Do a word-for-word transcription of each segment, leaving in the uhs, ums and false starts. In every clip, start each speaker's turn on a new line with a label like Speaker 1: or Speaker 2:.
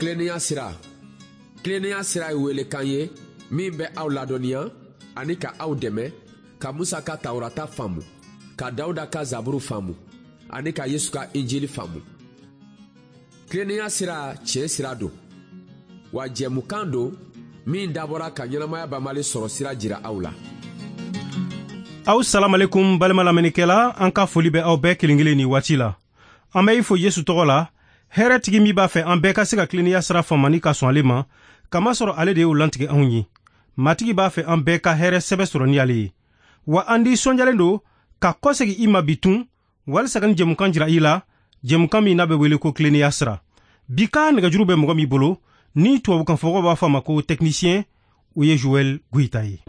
Speaker 1: Tilennenya sira. Tilennenya sira ye welekan ye min bɛ aw ladɔnniya ani ka aw dɛmɛ ka Musa ka Tawurata faamu, ka Dawuda ka Zaburu faamu ani ka Yesu ka Injili faamu. Tilennenya sira tiɲɛ sira don, wa jɛmukan don min dabɔra ka ɲɛnamaya banbali sɔrɔ sira jira aw la.
Speaker 2: Aw salamalekum balima lamɛnnikɛla, an ka foli bɛ aw bɛɛ kelen kelen ni waati la. An bɛ i fo Yesu tɔgɔ la, hɛrɛtigi min b'a fɛ an bɛɛ ka se ka tilennenya sira faamani ka sɔn ale ma, kamasɔrɔ ale de y'o lantigɛ anw ye. Matigi b'a fɛ an bɛɛ ka hɛrɛ sɛbɛ sɔrɔ ni ale ye. Wa an nisɔndiyalen don ka kɔsegin i ma bi tun, walisa ka nin jɛmukan jira i la, jɛmukan min n'a bɛ wele ko tilennenya sira. Bi ka nɛgɛjuru bɛ mɔgɔ min bolo, ni tubabukanfɔmɔgɔw b'a fɔ a ma ko technicien, o ye Joël Goïta ye.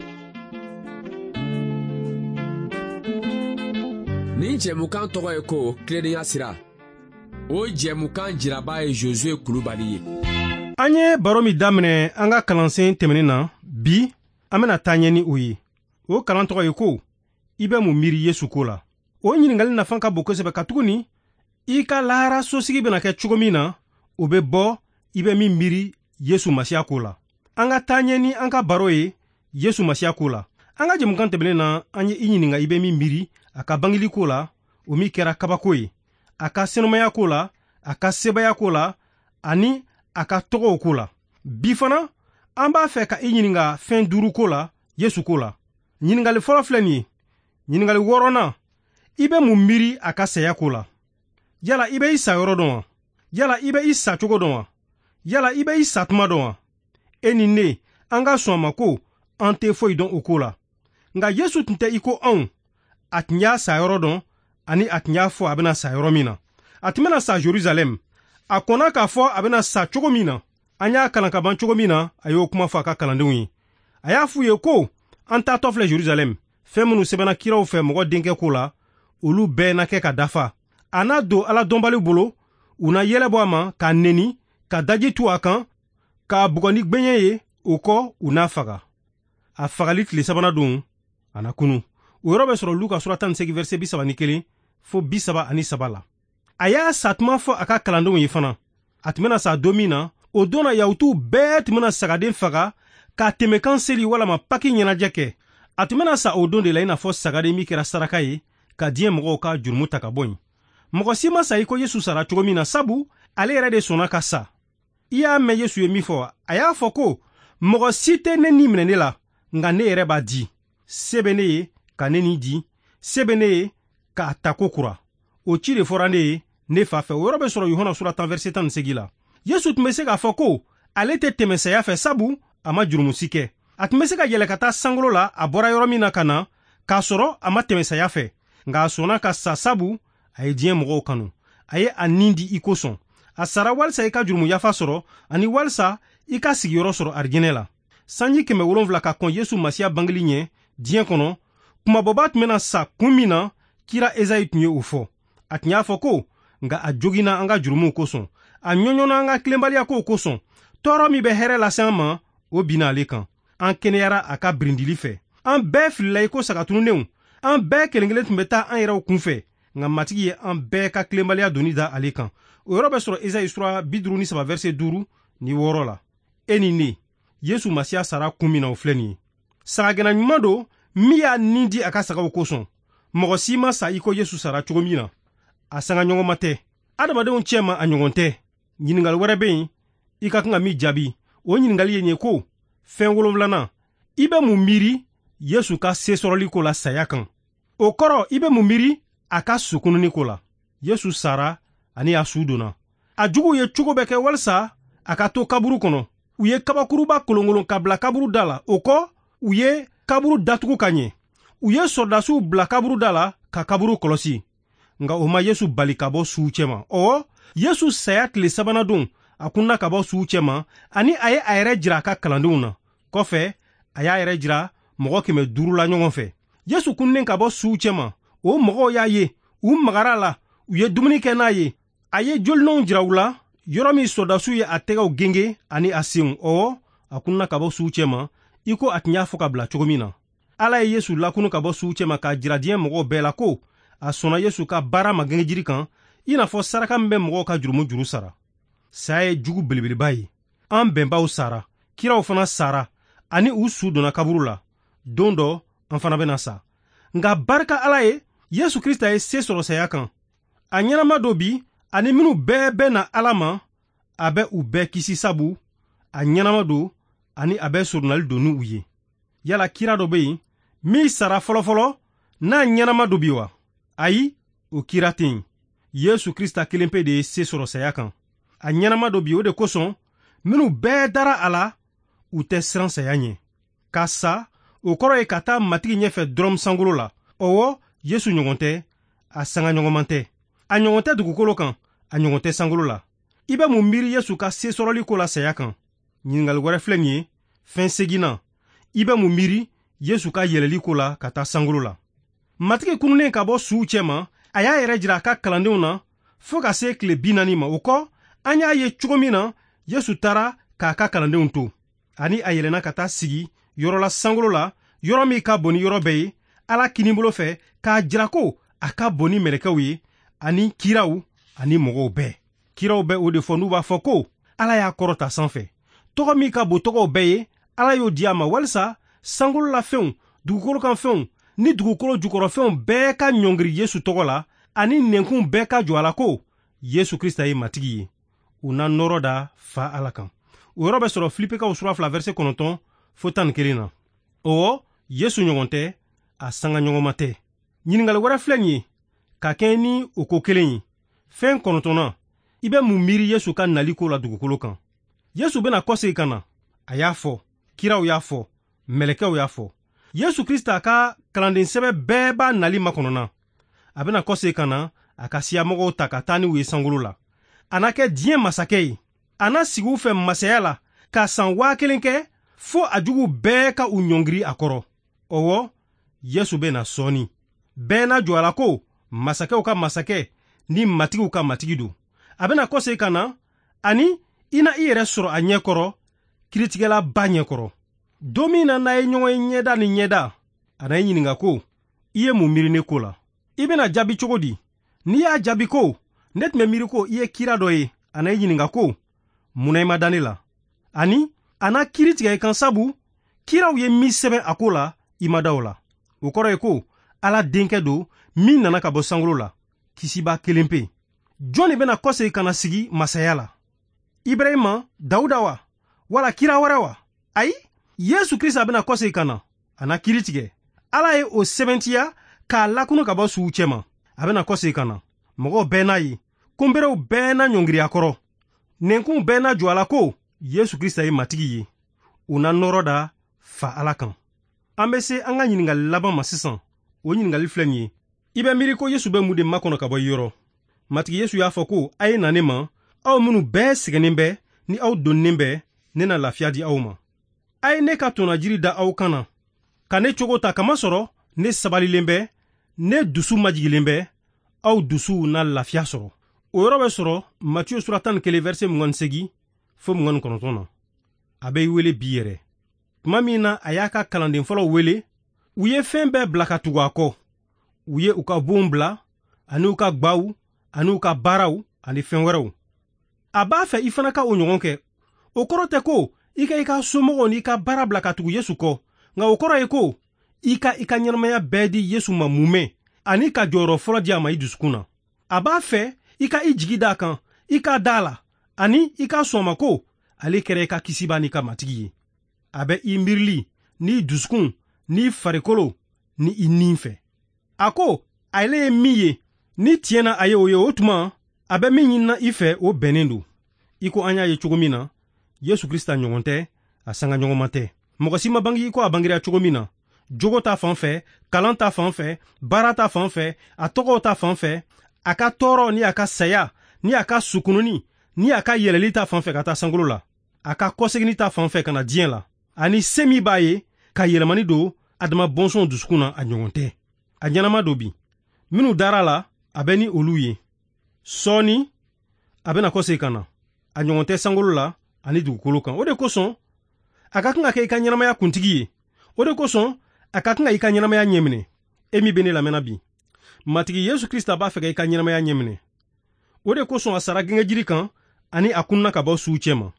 Speaker 1: Nin jɛmukan tɔgɔ ye ko tilennenya sira. O jɛmukan jiraba ye Josué Kulubali ye.
Speaker 2: An ye baro min daminɛ an ka kalansen tɛmɛnen na, bi an bɛna taa ɲɛ ni o ye. O kalan tɔgɔ ye ko i bɛ mun miiri Yesu ko la. O ɲininkali nafa ka bon kosɛbɛ, katuguni i ka lahara sosigi bɛna kɛ cogo min na, o bɛ bɔ i bɛ min miiri Yesu Masiya ko la. An ka taa ɲɛ ni an ka baro ye Yesu Masiya ko la. An ka jɛmukan tɛmɛnen na, an ye i ɲininka i bɛ min miiri a ka bangeli ko la, o min kɛra kabako ye, a ka senumaya ko la, a ka sebaya ko la, ani a ka tɔgɔw ko la. Bi fana, an b'a fɛ ka i ɲininka fɛn duuru ko la Yesu ko la. Ɲininkali fɔlɔ filɛ nin ye. Ɲininkali wɔɔrɔnan, i bɛ mun miiri a ka saya ko la? Yala i bɛ i sa yɔrɔ dɔn wa? Yala i bɛ i sa cogo dɔn wa? Yala i bɛ i sa tuma dɔn wa? E ni ne, an ka sɔn a ma ko an tɛ foyi dɔn o ko la. Nka Yesu tun tɛ i ko anw. A tun y'a sa yɔrɔ dɔn, ani a tun y'a fɔ a bɛna sa yɔrɔ min na. A tun bɛna sa Jerusalɛm. A kɔnna k'a fɔ a bɛna sa cogo min na. An y'a kalan ka ban cogo min na, a y'o kuma fɔ a ka kalandenw ye. A y'a f'u ye ko an taatɔ filɛ Jerusalɛm. Fɛn minnu sɛbɛnna kiraw fɛ mɔgɔ denkɛ ko la, olu bɛɛ na kɛ ka dafa. A n'a don Ala dɔnbali bolo, u na yɛlɛ bɔ a ma k'a neni, ka daji tu a kan, k'a bugɔ ni gɛɲɛ ye, o kɔ u n'a faga. A fagali tile sabanan don, a na kunu. O yɔrɔ bɛ sɔrɔ Luka sura tan ni seegin verset bi saba ni kelen fo bi saba ani saba la. A y'a satuma fɔ a ka kalandenw ye fana. A tun bɛna sa don min na, o don na Yahutuw bɛɛ tun bɛna sagaden faga ka tɛmɛkan seli walama Paki ɲɛnajɛ kɛ. A tun bɛna sa o don de la i n'a fɔ sagaden min kɛra saraka ye ka diɲɛ mɔgɔw ka jurumu ta ka bɔ yen. Mɔgɔ si ma sa i ko Yesu sara cogo min na, sabu ale yɛrɛ de sɔnna ka sa. I y'a mɛn Yesu ye min fɔ, a y'a fɔ ko mɔgɔ si tɛ ne ni minɛ ne la, nka ne yɛrɛ b'a di. Se bɛ ne ye ka ne ni di, se bɛ ne ye k'a ta ko kura. O ci de fɔra ne ye ne fa fɛ. O yɔrɔ bɛ sɔrɔ Yohana sura tan verset tan ni seegin la. Yesu tun bɛ se k'a fɔ ko ale tɛ tɛmɛ saya fɛ, sabu a ma jurumu si kɛ. A tun bɛ se ka yɛlɛ ka taa sankolo la, a bɔra yɔrɔ min na ka na, k'a sɔrɔ a ma tɛmɛ saya fɛ. Nka a sɔnna ka sa, sabu a ye diɲɛ mɔgɔw kanu. A ye a nin di i kosɔn. A sara walisa i ka jurumu yafa sɔrɔ, ani walisa i ka sigiyɔrɔ sɔrɔ arijinɛ la. Sanji kɛmɛ wolonfila ka kɔn Yesu Masiya bangeli ɲɛ diɲɛ kɔnɔ, kumabɔba tun bɛna sa kun min na, kira Ezayi tun ye o fɔ. A tun y'a fɔ ko nka a joginna an ka jurumuw kosɔn, a ɲɔɲɔnna an ka tilenbaliya kow kosɔn. Tɔɔrɔ min bɛ hɛrɛ lase an ma, o binna ale kan. An kɛnɛyara a ka birindili fɛ. An bɛɛ filila i ko sagatunnenw. An bɛɛ kelen kelen tun bɛ taa an yɛrɛw kunfɛ, nka Matigi ye an bɛɛ ka tilenbaliya doni da ale kan. O yɔrɔ bɛ sɔrɔ Ezayi sura bi duuru ni saba verset duuru ni wɔɔrɔ la. E ni ne, Yesu Masiya sara kun min na, o filɛ nin ye. Sagagɛnna ɲuman don min y'a nin di a ka sagaw kosɔn. Mɔgɔ si ma sa i ko Yesu sara cogo min na. A sanga ɲɔgɔnma tɛ. Adamadenw cɛ ma a ɲɔgɔn tɛ. Ɲininkali wɛrɛ bɛ yen i ka kan ka min jaabi. O ɲininkali ye nin ye ko fɛn wolonfilanan, i bɛ mun miiri Yesu ka sesɔrɔli ko la saya kan? O kɔrɔ, i bɛ mun miiri a ka sukununi ko la? Yesu sara ani a su donna. A juguw ye cogo bɛɛ kɛ walisa a ka to kaburu kɔnɔ. U ye kabakuruba kolonkolon ka bila kaburu da la. O kɔ, u ye kaburu datugu ka ɲɛ. U ye sɔrɔdasiw bila kaburu da la ka kaburu kɔlɔsi. Nka o ma Yesu bali ka bɔ suw cɛma. Ɔwɔ, Yesu saya tile sabanan don, a kunna ka bɔ suw cɛma, ani a ye a yɛrɛ jira a ka kalandenw na. Kɔfɛ, a y'a yɛrɛ jira mɔgɔ kɛmɛ duuru la ɲɔgɔn fɛ. Yesu kunnen ka bɔ suw cɛma, o mɔgɔw y'a ye, u magara la, u ye dumuni kɛ n'a ye. A ye jolinɔw jira u la, yɔrɔ min sɔrɔdasiw ye a tɛgɛw genge ani a senw. Ɔwɔ, a kunna ka bɔ suw cɛma, i ko a tun y'a fɔ ka bila cogo min na. Ala ye Yesu lakunu ka bɔ suw cɛma k'a jira diɲɛ mɔgɔw bɛɛ la ko a sɔnna Yesu ka baara ma gengejiri kan, i n'a fɔ saraka min bɛ mɔgɔw ka jurumu juru sara. Saya ye jugu belebeleba ye. An bɛnbaw sara, kiraw fana sara, ani u su donna kaburu la. Don dɔ an fana bɛna sa. Nka barika Ala ye, Yesu Krista ye se sɔrɔ saya kan. A ɲɛnama don bi, ani minnu bɛɛ bɛ na Ala ma, a bɛ u bɛɛ kisi sabu a ɲɛnama don ani a bɛ surunali don ni u ye. Yala kira dɔ bɛ yen min sara fɔlɔfɔlɔ n'a ɲɛnama don bi wa? Ayi, o kira tɛ yen. Yesu Krista kelen pe de ye se sɔrɔ saya kan. A ɲɛnama don bi, o de kosɔn minnu bɛɛ dara a la, u tɛ siran saya ɲɛ. Ka sa, o kɔrɔ ye ka taa Matigi ɲɛfɛ dɔrɔn sankolo la. Ɔwɔ, Yesu ɲɔgɔn tɛ, a sangaɲɔgɔnman tɛ. A ɲɔgɔn tɛ dugukolo kan, a ɲɔgɔn tɛ sankolo la. I bɛ mun miiri Yesu ka se sɔrɔli ko la saya kan? Ɲininkali wɛrɛ filɛ nin ye, fɛn seginna. I bɛ mun miiri Yesu ka yɛlɛli ko la ka taa sankolo la? Matigi kununnen ka bɔ suw cɛma, a y'a yɛrɛ jira a ka kalandenw na fo ka se tile bi naani ma. O kɔ, an y'a ye cogo min na Yesu taara k'a ka kalandenw to, ani a yɛlɛnna ka taa sigi yɔrɔ la sankolo la, yɔrɔ min ka bon ni yɔrɔ bɛɛ ye, Ala kinibolo fɛ, k'a jira ko a ka bon ni mɛlɛkɛw ye, ani kiraw ani mɔgɔw bɛɛ. Kiraw bɛ o de fɔ n'u b'a fɔ ko Ala y'a kɔrɔta sanfɛ. Tɔgɔ min ka bon tɔgɔw bɛɛ ye, Ala y'o di a ma walisa sankolo la fɛnw, dugukolo kan fɛnw ni dugukolo jukɔrɔfɛnw bɛɛ ka ɲɔngiri Yesu tɔgɔ la, ani nɛnkun bɛɛ ka jɔ a la ko Yesu Krista ye Matigi ye. U na nɔrɔ da Fa Ala kan. O yɔrɔ bɛ sɔrɔ Filipekaw sura fila verset kɔnɔntɔn fo tan ni kelen na. Ɔwɔ, Yesu ɲɔgɔn tɛ, a sangaɲɔgɔnma tɛ. Ɲininkali wɛrɛ filɛ nin ye, ka kɛɲɛ ni o ko kelen ye. Fɛn kɔnɔntɔnnan, i bɛ mun miiri Yesu ka nali ko la dugukolo kan? Yesu bɛna kɔsegin ka na. A y'a fɔ, kiraw y'a fɔ, mɛlɛkɛw y'a fɔ. Yesu Krista ka kalanden sɛbɛ bɛɛ b'a nali makɔnɔna. A bɛna kɔsegin ka na a ka siyamɔgɔw ta ka taa n'u ye sankolo la. A na kɛ diɲɛ masakɛ ye. A na sigi u fɛ masaya la ka san waa kelen kɛ fo a jugu bɛɛ ka u ɲɔngiri a kɔrɔ. Ɔwɔ, Yesu bɛna sɔɔni. Bɛɛ na jɔ a la ko masakɛw ka masakɛ ni matigiw ka matigi don. A bɛna kɔsegin ka na, ani i na i yɛrɛ sɔrɔ a ɲɛkɔrɔ, kiritigɛlaba ɲɛkɔrɔ. Don min na n'a ye ɲɔgɔn ye ɲɛda ni ɲɛda, a na i ɲininka ko i ye mun miiri ne ko la? I bɛna jaabi cogo di? N'i y'a jaabi ko ne tun bɛ miiri ko i ye kira dɔ ye, a na i ɲininka ko mun na i ma da ne la? Ani a na kiiri tigɛ i kan sabu kiraw ye min sɛbɛn a ko la, i ma da o la. O kɔrɔ ye ko Ala denkɛ don min nana ka bɔ sankolo la, kisiba kelen pe. Jɔn de bɛna kɔsegin ka na sigi masaya la? Ibrahima, Dawuda wa? Wala kira wɛrɛ wa? Ayi, Yesu Krista bɛna kɔsegin ka na, a na kiiri tigɛ. Ala ye o sɛbɛntiya k'a lakunu ka bɔ suw cɛma. A bɛna kɔsegin ka na. Mɔgɔw bɛɛ n'a ye, kunberew bɛɛ na ɲɔngiri a kɔrɔ. Nɛnkunw bɛɛ na jɔ a la ko Yesu Krista ye Matigi ye. U na nɔrɔ da Fa Ala kan. An bɛ se an ka ɲininkali laban ma sisan. O ɲininkali filɛ nin ye. I bɛ miiri ko Yesu bɛ mun de makɔnɔ ka bɔ i yɔrɔ? Matigi Yesu y'a fɔ ko a ye na ne ma, aw minnu bɛɛ sɛgɛnnen bɛ ni aw donnen bɛ, ne na lafiya di aw ma. A ye ne ka tɔnajiri da aw kan na, ka ne cogo ta kamasɔrɔ ne sabalilen bɛ, ne dusu majigilen bɛ, aw dusuw na lafiya sɔrɔ. O yɔrɔ bɛ sɔrɔ Matiyu sura tan ni kelen verset mugan ni seegin fo mugan ni kɔnɔntɔn na. A bɛ i wele bi yɛrɛ. Tuma min na a y'a ka kalanden fɔlɔw wele, u ye fɛn bɛɛ bila ka tugu a kɔ. U ye u ka bonw bila, ani u ka gwaw, ani u ka baaraw, ani fɛn wɛrɛw. A b'a fɛ i fana ka o ɲɔgɔn kɛ. O kɔrɔ tɛ ko i ka i ka somɔgɔw n'i ka baara bila ka tugu Yesu kɔ, nka o kɔrɔ ye ko i ka i ka ɲɛnamaya bɛɛ di Yesu ma mumɛ, ani ka jɔyɔrɔ fɔlɔ di a ma i dusukun na. A b'a fɛ i ka i jigi d'a kan, i ka da a la, ani i ka sɔn a ma ko ale kɛra i ka kisiba n'i ka matigi ye. A bɛ i miirili n'i dusukun n'i farikolo ni i nin fɛ. A ko ale ye min ye, ni tiɲɛ na a ye o ye, o tuma a bɛ min ɲinina i fɛ, o bɛnnen don. I ko an y'a ye cogo min na, Yesu Krista ɲɔgɔn tɛ, a sangaɲɔgɔnma tɛ. Mɔgɔ si ma bange i ko a bangera cogo min na, jogo ta fan fɛ, kalan ta fan fɛ, baara ta fan fɛ, a tɔgɔw ta fan fɛ, a ka tɔɔrɔ ni a ka saya ni a ka sukununi ni a ka yɛlɛli ta fan fɛ ka taa sankolo la, a ka kɔseginni ta fan fɛ ka na diɲɛ la, ani se min b'a ye ka yɛlɛmani don Adama bɔnsɔnw dusukun na, a ɲɔgɔn tɛ. A ɲɛnama don bi. Minnu dara a la, a bɛ ni olu ye. Sɔɔni a bɛna kɔsegin ka na. A ɲɔgɔn tɛ sankolo la ani dugukolo kan. O de kosɔn a ka kan ka kɛ i ka ɲɛnamaya kuntigi ye. O de kosɔn a ka kan ka i ka ɲɛnamaya ɲɛminɛ. E min bɛ ne lamɛnna bi, Matigi Yesu Krista b'a fɛ ka i ka ɲɛnamaya ɲɛminɛ. O de kosɔn a sara gɛngɛjiri kan ani a kunna ka bɔ suw cɛma.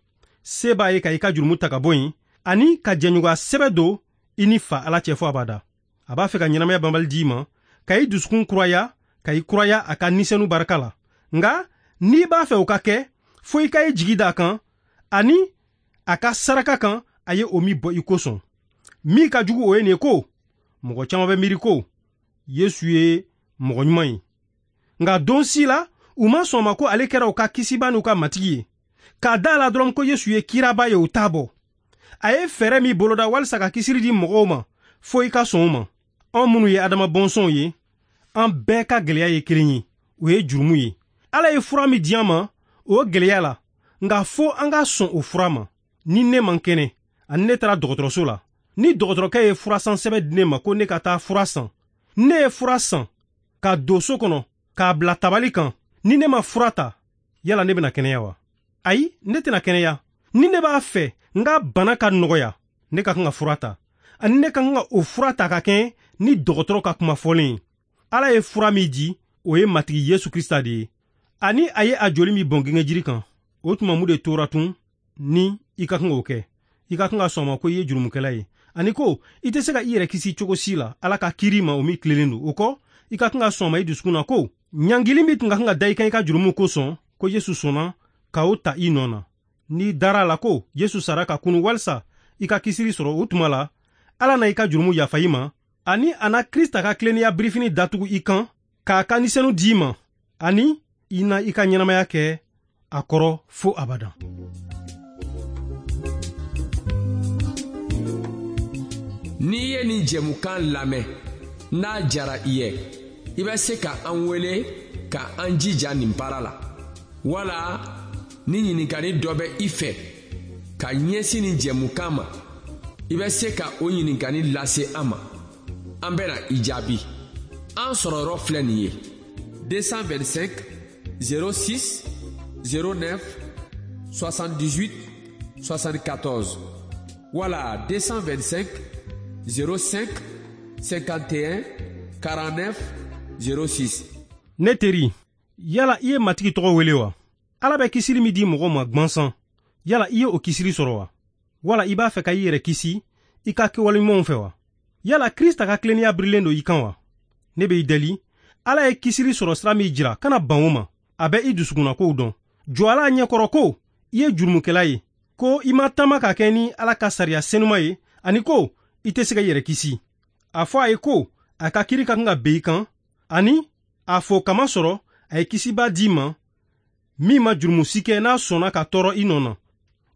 Speaker 2: Se b'a ye ka i ka jurumu ta ka bɔ yen ani ka jɛɲɔgɔnya sɛbɛ don i ni fa Ala cɛ fɔ abada. A b'a fɛ ka ɲɛnamaya banbali d'i ma, ka i dusukun kuraya, ka i kuraya a ka nisɛnu barika la. Nka n'i b'a fɛ o ka kɛ, fo i ka i jigi d'a kan ani a ka saraka kan a ye o min bɔ i kosɔn. Min ka jugu o ye nin ye ko mɔgɔ caman bɛ miiri ko Yesu ye mɔgɔ ɲuman ye, nka don si la u ma sɔn ma ko ale kɛra u ka kisiba n'u ka matigi ye. K'a da la dɔrɔn ko Yesu ye kiraba ye, o t'a bɔ. A ye fɛɛrɛ min boloda walisa ka kisili di mɔgɔw ma, fo i ka sɔn o ma. Anw minnu ye Adama bɔnsɔnw ye, an bɛɛ ka gɛlɛya ye kelen ye, o ye jurumu ye. Ala ye fura min di an ma, o gɛlɛya la, nka fo an ka sɔn o fura ma. Ni ne man kɛnɛ, ani ne taara dɔgɔtɔrɔso la, ni dɔgɔtɔrɔkɛ ye furasan sɛbɛn di ne ma ko ne ka taa fura san, ne ye fura san ka don so kɔnɔ k'a bila tabali kan, ni ne ma fura ta, yala ne bɛna kɛnɛya wa? Ayi, ne tɛna kɛnɛya. Ni ne b'a fɛ n ka bana ka nɔgɔya, ne ka kan ka fura ta, ani ne ka kan ka o fura ta ka kɛ ni dɔgɔtɔrɔ ka kuma fɔlen ye. Ala ye fura min di, o ye Matigi Yesu Krista de ye, ani a ye a joli min bɔn gengejiri kan. O tuma mun de tora tun ni i ka kan k'o kɛ? I ka kan ka sɔn a ma ko i ye jurumukɛla ye, ani ko i tɛ se ka i yɛrɛ kisi cogo si la Ala ka kiiri ma o min tilelen don. O kɔ, i ka kan ka sɔn a ma i dusukun na ko ɲangili min tun ka kan ka da i kan i ka jurumu kosɔn, ko Yesu sɔnna ka o ta i nɔ na. N'i dara a la ko Yesu sara ka kunu walisa i ka kisili sɔrɔ, o tuma la Ala na i ka jurumu yafa i ma, ani a na Krista ka tilennenya birifini datugu i kan k'a ka nisɛnu d'i ma, ani i na i ka ɲɛnamaya kɛ a kɔrɔ fo abadan.
Speaker 1: N'i ye nin jɛmukan lamɛn, n'a jara i ye, i bɛ se ka an wele ka an jija nin baara la, wala ni ɲininkali dɔ bɛ i fɛ ka ɲɛsin nin jɛmukan ma, i bɛ se ka o ɲininkali lase an ma. An bɛna i jaabi. An sɔrɔ yɔrɔ filɛ nin ye: deux cent vingt-cinq zéro six zéro neuf soixante-dix-huit soixante-quatorze wala deux cent vingt-cinq zéro cinq cinquante et un quarante-neuf zéro six.
Speaker 2: Ne teri, yala i ye Matigi tɔgɔ wele wa? Ala bɛ kisili min di mɔgɔ ma gwansan, yala i ye o kisili sɔrɔ wa? Wala i b'a fɛ ka i yɛrɛ kisi i ka kɛwale ɲumanw fɛ wa? Yala Krista ka tilennenya birilen don i kan wa? Ne bɛ i deli, Ala ye kisili sɔrɔ sira min jira, kana ban o ma. A bɛ i dusukunnakow dɔn. Jɔ Ala ɲɛkɔrɔ ko i ye jurumukɛla ye, ko i ma taama ka kɛ ni Ala ka sariya senuma ye, ani ko i tɛ se ka i yɛrɛ kisi. A fɔ a ye ko a ka kiiri ka kan ka ben i kan, ani a fɔ kama sɔrɔ a ye kisiba d'i ma min ma jurumu si kɛ n'a sɔnna ka tɔɔrɔ i nɔ na.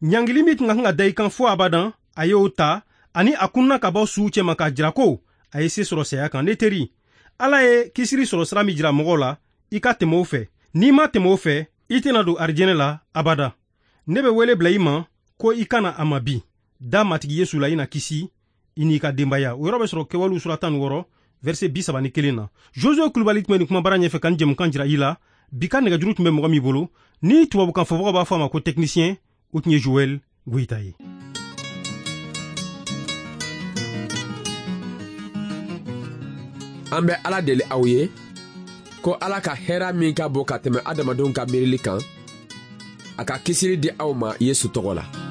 Speaker 2: Ɲangili min tun ka kan ka da i kan fo abadan, a y'o ta, ani a kunna ka bɔ suw cɛma k'a jira ko a ye se sɔrɔ saya kan. Ne teri, Ala ye kisili sɔrɔ sira min jira mɔgɔw la, i ka tɛmɛ o fɛ. N'i ma tɛmɛ o fɛ, i tɛna don arijɛnɛ la abada. Ne bɛ wele bila i ma ko i kana a ma bi. Da Matigi Yesu la, i na kisi i n'i ka denbaya. O yɔrɔ bɛ sɔrɔ Kɛwalew sura tan ni wɔɔrɔ verset bi saba ni kelen na. Josue Kulubali tun bɛ nin kumabara ɲɛfɛ ka nin jɛmukan jira i la. Bi ka nɛgɛjuru tun bɛ mɔgɔ min bolo, ni tubabukan fɔbagaw b'a fɔ a ma ko technicien, o tun ye Joël Goyita ye.
Speaker 1: An bɛ Ala deli aw ye ko Ala ka hɛrɛ min ka bon ka tɛmɛ adamadenw ka miirili kan, a ka kisili di aw ma Yesu tɔgɔ la.